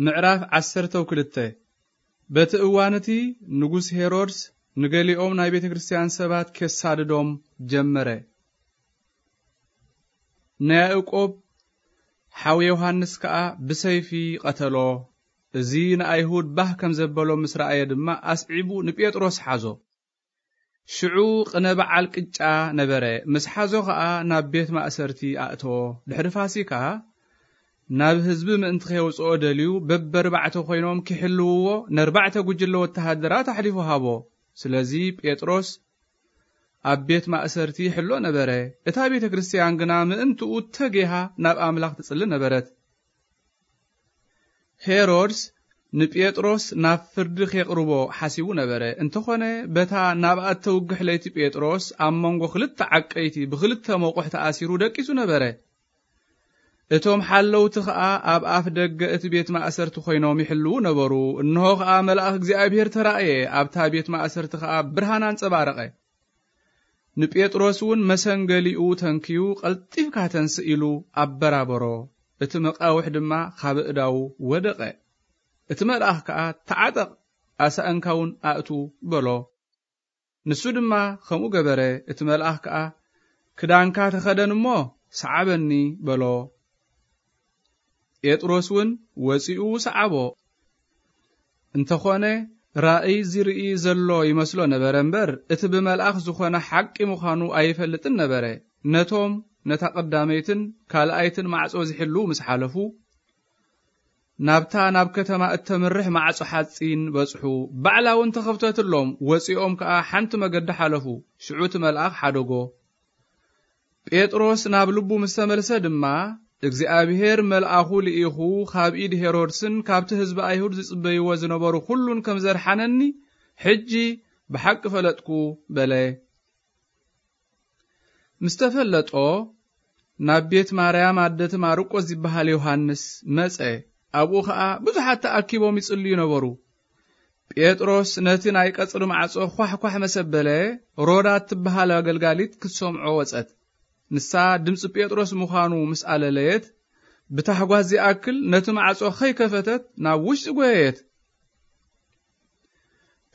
ምዕራፍ ዓሰርተ ክልተ። በቲ እዋን እቲ ንጉስ ሄሮድስ ንገሊኦም ናይ ቤተ ክርስቲያን ሰባት ኬሳድዶም ጀመረ። ንያዕቆብ ሓው ዮሃንስ ከኣ ብሰይፊ ቀተሎ። እዚ ንኣይሁድ ባህ ከም ዘበሎ ምስ ረኣየ ድማ ኣስዒቡ ንጴጥሮስ ሓዞ። ሽዑ ቅነ በዓል ቅጫ ነበረ። ምስ ሓዞ ኸኣ ናብ ቤት ማእሰርቲ ኣእተዎ። ድሕሪ ፋሲካ ናብ ህዝቢ ምእንቲ ኼውጽኦ ደልዩ በበርባዕተ ኮይኖም ኪሕልውዎ ነርባዕተ ጉጅለ ወተሃደራት ኣሕሊፉ ሃቦ። ስለዚ ጴጥሮስ ኣብ ቤት ማእሰርቲ ይሕሎ ነበረ። እታ ቤተ ክርስቲያን ግና ምእንትኡ ተጌሃ ናብ ኣምላኽ ትጽሊ ነበረት። ሄሮድስ ንጴጥሮስ ናብ ፍርዲ ኼቕርቦ ሓሲቡ ነበረ። እንተኾነ በታ ናብኣ እተውግሕ ለይቲ ጴጥሮስ ኣብ መንጎ ክልተ ዓቀይቲ ብኽልተ መቑሕ ተኣሲሩ ደቂሱ ነበረ። እቶም ሓለውቲ ኸኣ ኣብ ኣፍ ደገ እቲ ቤት ማእሰርቲ ኮይኖም ይሕልዉ ነበሩ። እንሆ ኸኣ መልኣኽ እግዚኣብሔር ተራእየ፣ ኣብታ ቤት ማእሰርቲ ኸኣ ብርሃን ኣንጸባረቐ። ንጴጥሮስ እውን መሰንገሊኡ ተንክዩ ቀልጢፍካ ተንስእ ኢሉ ኣበራበሮ። እቲ መቃውሕ ድማ ካብ እዳዉ ወደቐ። እቲ መልኣኽ ከኣ ተዓጠቕ፣ ኣሳእንካ እውን ኣእቱ በሎ። ንሱ ድማ ከምኡ ገበረ። እቲ መልኣኽ ከኣ ክዳንካ ተኸደን እሞ ሰዓበኒ በሎ። ጴጥሮስ እውን ወጺኡ ሰዓቦ። እንተኾነ ራእይ ዝርኢ ዘሎ ይመስሎ ነበረ እምበር፣ እቲ ብመልኣኽ ዝኾነ ሓቂ ምዃኑ ኣይፈልጥን ነበረ። ነቶም ነታ ቀዳመይትን ካልኣይትን ማዕጾ ዝሕልዉ ምስ ሓለፉ፣ ናብታ ናብ ከተማ እተምርሕ ማዕጾ ሓጺን በጽሑ። ባዕላ እውን ተኸፍተትሎም። ወጺኦም ከኣ ሓንቲ መገዲ ሓለፉ። ሽዑ እቲ መልኣኽ ሓደጎ። ጴጥሮስ ናብ ልቡ ምስ ተመልሰ ድማ፣ እግዚኣብሔር መልኣኹ ልኢኹ ካብ ኢድ ሄሮድስን ካብቲ ህዝቢ ኣይሁድ ዝጽበይዎ ዝነበሩ ኩሉን ከም ዘድሓነኒ ሕጂ ብሓቂ ፈለጥኩ በለ። ምስ ተፈለጦ፣ ናብ ቤት ማርያም ኣደቲ ማርቆስ ዝበሃል ዮሃንስ መጸ። ኣብኡ ኸኣ ብዙሓት ተኣኪቦም ይጽልዩ ነበሩ። ጴጥሮስ ነቲ ናይ ቀጽሪ ማዕጾ ኳሕኳሕ መሰበለ፣ ሮዳ እትበሃል ኣገልጋሊት ክትሰምዖ ወጸት። ንሳ ድምጺ ጴጥሮስ ምዃኑ ምስ ኣለለየት፣ ብታሕጓስ ዚኣክል ነቲ ማዕጾ ከይከፈተት ናብ ውሽጢ ጐየየት።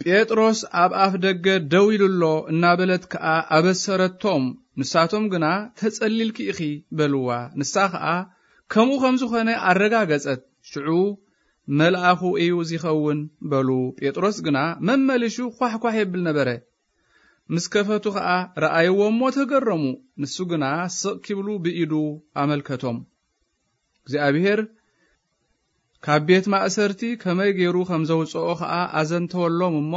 ጴጥሮስ ኣብ ኣፍ ደገ ደው ኢሉ ኣሎ እናበለት ከኣ ኣበሰረቶም። ንሳቶም ግና ተጸሊልኪ ኢኺ በልዋ። ንሳ ኸኣ ከምኡ ከም ዝኾነ ኣረጋገጸት። ሽዑ መልኣኹ እዩ ዚኸውን በሉ። ጴጥሮስ ግና መመሊሹ ኳሕኳሕ የብል ነበረ። ምስ ከፈቱ ኸኣ ረኣይዎ እሞ ተገረሙ። ንሱ ግና ስቕ ኪብሉ ብኢዱ ኣመልከቶም። እግዚኣብሔር ካብ ቤት ማእሰርቲ ከመይ ገይሩ ከም ዘውጽኦ ኸኣ ኣዘንተወሎም እሞ፣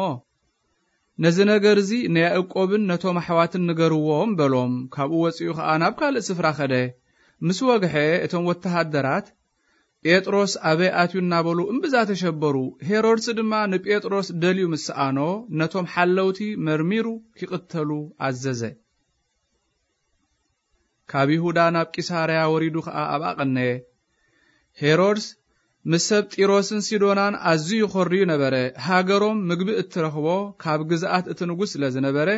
ነዚ ነገር እዚ ንያዕቆብን ነቶም ኣሕዋትን ንገርዎም በሎም። ካብኡ ወጺኡ ኸኣ ናብ ካልእ ስፍራ ኸደ። ምስ ወግሐ እቶም ወተሃደራት ጴጥሮስ ኣበይ ኣትዩ እናበሉ እምብዛ ተሸበሩ። ሄሮድስ ድማ ንጴጥሮስ ደልዩ ምስ ሰኣኖ፣ ነቶም ሓለውቲ መርሚሩ ኪቕተሉ ኣዘዘ። ካብ ይሁዳ ናብ ቂሳርያ ወሪዱ ኸኣ ኣብኣ ቐነየ። ሄሮድስ ምስ ሰብ ጢሮስን ሲዶናን ኣዝዩ ኾርዩ ነበረ። ሃገሮም ምግቢ እትረኽቦ ካብ ግዝኣት እቲ ንጉስ ስለ ዝነበረ፣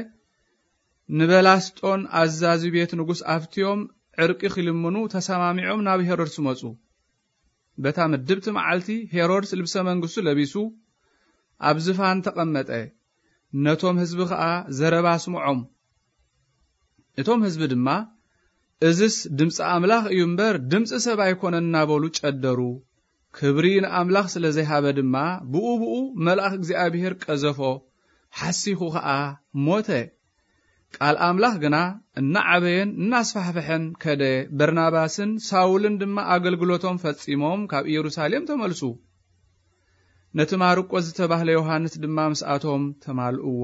ንበላስጦን ኣዛዚ ቤት ንጉስ ኣፍትዮም ዕርቂ ኪልምኑ ተሰማሚዖም ናብ ሄሮድስ መጹ። በታ ምድብቲ መዓልቲ ሄሮድስ ልብሰ መንግስቱ ለቢሱ ኣብ ዝፋን ተቐመጠ። ነቶም ህዝቢ ኸኣ ዘረባ ኣስምዖም። እቶም ህዝቢ ድማ፣ "እዝስ ድምጺ ኣምላኽ እዩ እምበር ድምጺ ሰብ ኣይኮነን" እናበሉ ጨደሩ። ክብሪ ንኣምላኽ ስለ ዘይሃበ ድማ፣ ብኡ ብኡ መልኣኽ እግዚኣብሔር ቀዘፎ፣ ሓሲኹ ኸኣ ሞተ። ቃል ኣምላኽ ግና እናዓበየን እናስፋሕፍሐን ከደ። በርናባስን ሳውልን ድማ ኣገልግሎቶም ፈጺሞም ካብ ኢየሩሳሌም ተመልሱ። ነቲ ማርቆስ ዝተባህለ ዮሃንስ ድማ ምስኣቶም ተማልእዎ።